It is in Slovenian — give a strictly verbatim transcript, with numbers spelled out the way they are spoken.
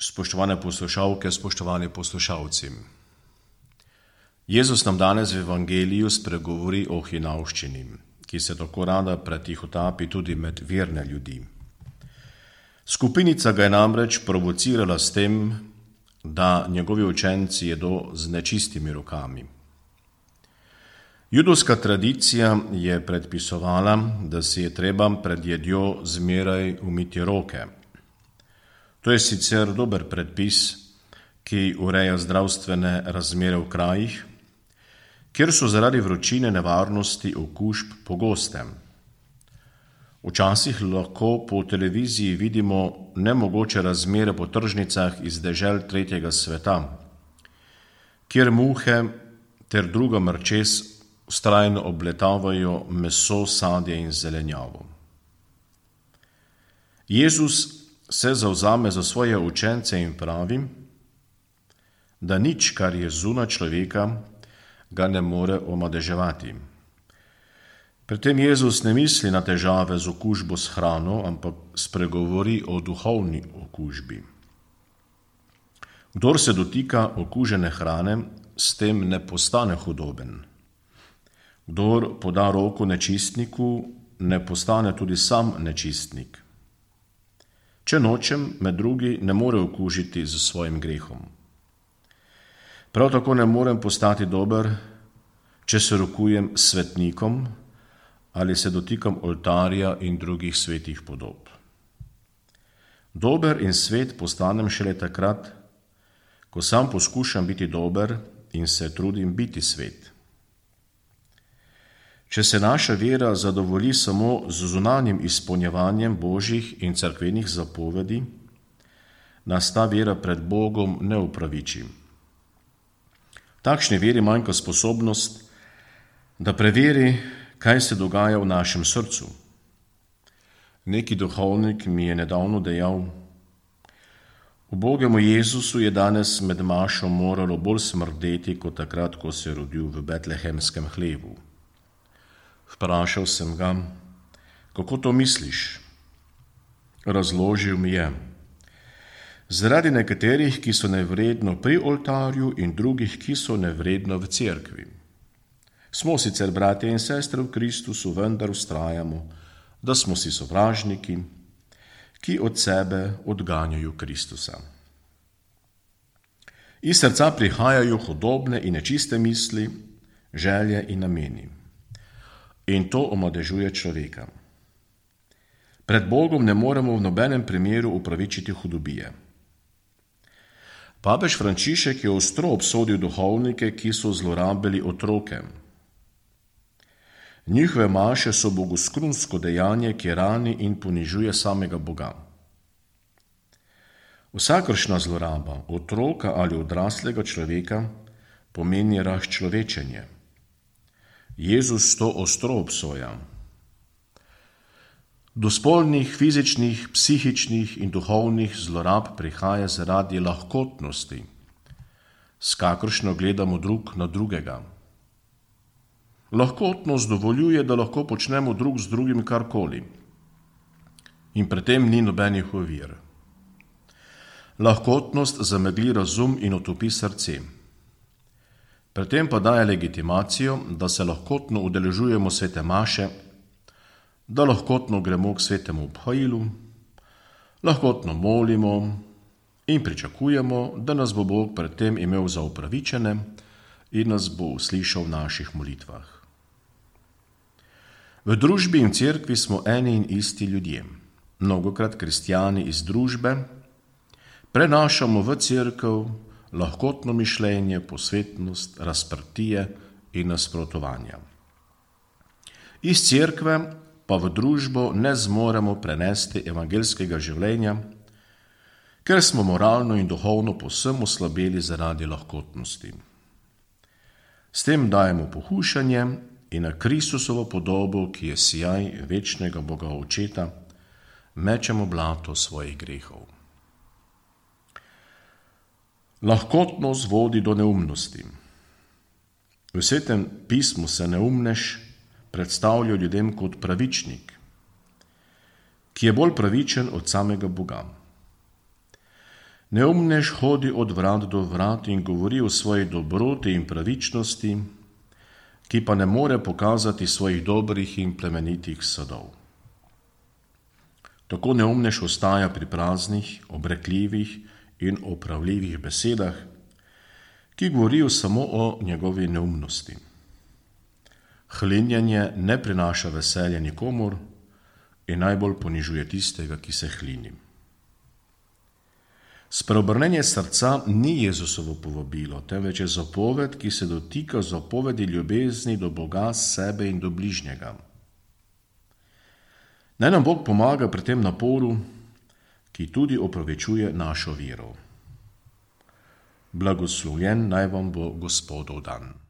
Spoštovane poslušalke, spoštovani poslušalci. Jezus nam danes v Evangeliju spregovori o hinavščini, ki se tako rada pretihotapi tudi med verne ljudi. Skupinica ga je namreč provocirala s tem, da njegovi učenci jedo z nečistimi rokami. Judovska tradicija je predpisovala, da si je treba pred jedjo zmeraj umiti roke. To je sicer dober predpis, ki ureja zdravstvene razmere v krajih, kjer so zaradi vročine nevarnosti okužb pogoste. Včasih lahko po televiziji vidimo nemogoče razmere po tržnicah iz dežel tretjega sveta, kjer muhe ter druga mrčes vztrajno obletavajo meso, sadje in zelenjavo. Jezus se zavzame za svoje učence in pravi, da nič, kar je zunaj človeka, ga ne more omadeževati. Pri tem Jezus ne misli na težave z okužbo s hrano, ampak spregovori o duhovni okužbi. Kdor se dotika okužene hrane, s tem ne postane hudoben. Kdor poda roko nečistniku, ne postane tudi sam nečistnik. Če nočem, me drugi ne more okužiti z svojim grehom. Prav tako ne morem postati dober, če se rokujem s svetnikom ali se dotikam oltarja in drugih svetih podob. Dober in svet postanem šele takrat, ko sam poskušam biti dober in se trudim biti svet. Če se naša vera zadovolji samo z zunanjim izpolnjevanjem božjih in cerkvenih zapovedi, nas ta vera pred Bogom ne upraviči. Takšni veri manjka sposobnost, da preveri, kaj se dogaja v našem srcu. Neki duhovnik mi je nedavno dejal: ubogemu Jezusu je danes med mašo moralo bolj smrdeti, kot takrat, ko se je rodil v betlehemskem hlevu. Vprašal sem ga, kako to misliš? Razložil mi je: zaradi nekaterih, ki so nevredno pri oltarju in drugih, ki so nevredno v cerkvi. Smo sicer bratje in sestre v Kristusu, vendar vztrajamo, da smo si sovražniki, ki od sebe odganjajo Kristusa. Iz srca prihajajo hudobne in nečiste misli, želje in nameni. In to omadežuje človeka. Pred Bogom ne moremo v nobenem primeru upravičiti hudobije. Papež Frančišek je ostro obsodil duhovnike, ki so zlorabili otroke. Njihove maše so bogoskrunsko dejanje, ki rani in ponižuje samega Boga. Vsakršna zloraba otroka ali odraslega človeka pomeni razčlovečenje. Jezus to ostro obsoja. Do spolnih, fizičnih, psihičnih in duhovnih zlorab prihaja zaradi lahkotnosti, s kakršno gledamo drug na drugega. Lahkotnost dovoljuje, da lahko počnemo drug z drugim karkoli. In pri tem ni nobenih ovir. Lahkotnost zamegli razum in otopi srce. Pri tem pa daje legitimacijo, da se lahkotno udeležujemo svete maše, da lahkotno gremo k svetemu obhajilu, lahkotno molimo in pričakujemo, da nas bo Bog pred tem imel za upravičene in nas bo uslišal v naših molitvah. V družbi in cerkvi smo eni in isti ljudje. Mnogokrat kristjani iz družbe prenašamo v cerkev lahkotno mišljenje, posvetnost, razprtije in nasprotovanja. Iz cerkve pa v družbo ne zmoremo prenesti evangelskega življenja, ker smo moralno in duhovno povsem oslabeli zaradi lahkotnosti. S tem dajemo pohušanje in na Kristusovo podobo, ki je sijaj večnega Boga Očeta, mečemo blato svojih grehov. Lahkotnost vodi do neumnosti. V Svetem pismu se neumnež predstavlja ljudem kot pravičnik, ki je bolj pravičen od samega Boga. Neumnež hodi od vrat do vrat in govori o svoji dobroti in pravičnosti, ki pa ne more pokazati svojih dobrih in plemenitih sadov. Tako neumnež ostaja pri praznih, obrekljivih in opravljivih besedah, ki govorijo samo o njegovi neumnosti. Hlinjenje ne prinaša veselja nikomur in najbolj ponižuje tistega, ki se hlini. Spreobrnenje srca ni Jezusovo povabilo, temveč je zapoved, ki se dotika zapovedi ljubezni do Boga, sebe in do bližnjega. Naj nam Bog pomaga pri tem naporu, ki tudi opravičuje našo vero. Blagoslovljen naj vam bo Gospodov dan.